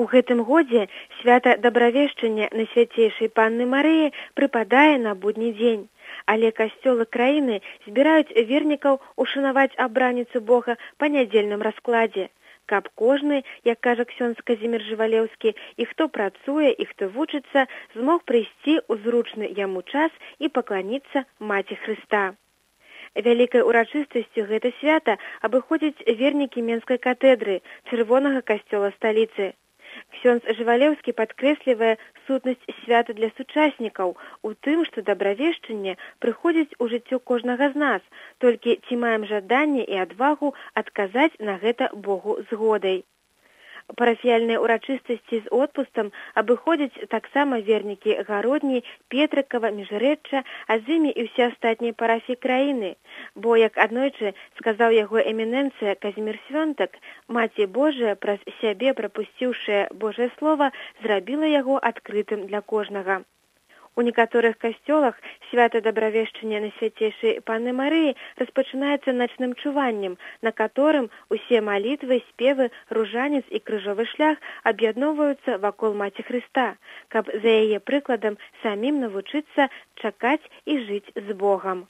У гэтым годзе свята дабравешчання Найсвяцейшай Панны Марыі прыпадае на будні дзень, але касцёлы краіны збіраюць вернікаў ушанаваць абраніцу Бога па нядзельным раскладзе, каб кожны, як кажа ксёндз Казімір Жывалеўскі, і хто працуе, і хто вучыцца, змог прыйсці ў зручны яму час і пакланіцца Маці Хрыста. Вялікай урачыстасцю гэта свята абыходзяць вернікі Менскай катедры, чырвонага касцёла сталіцы. Ксёндз Жывалеўскі падкрэслівае сутнасць свята для сучаснікаў у тым, што дабравешчанне прыходзіць у жыццё кожнага з нас, толькі ці маем жаданне і адвагу адказаць на гэта Богу згодай. Парафіяльныя ўрачыстасці з отпустам абыходзяць таксама вернікі Гародні, Петрыкава, Міжрэчча, а з імі і ўсе астатнія парафіі краіны. Бо, як аднойчы сказаў яго эмінэнцыя Казімір Свёнтак, Маці Божая, праз сябе прапусціўшая Божае Слова, зрабіла яго адкрытым для кожнага. У некаторых касцёлах свята дабравешчання Найсвяцейшай Панны Марыі распачынаецца начным чуваннем, на которым усе малітвы, спевы, ружанец і крыжовы шлях аб'ядноўваюцца вакол Маці Хрыста, каб за яе прыкладам самім навучыцца чакаць і жыць з Богам.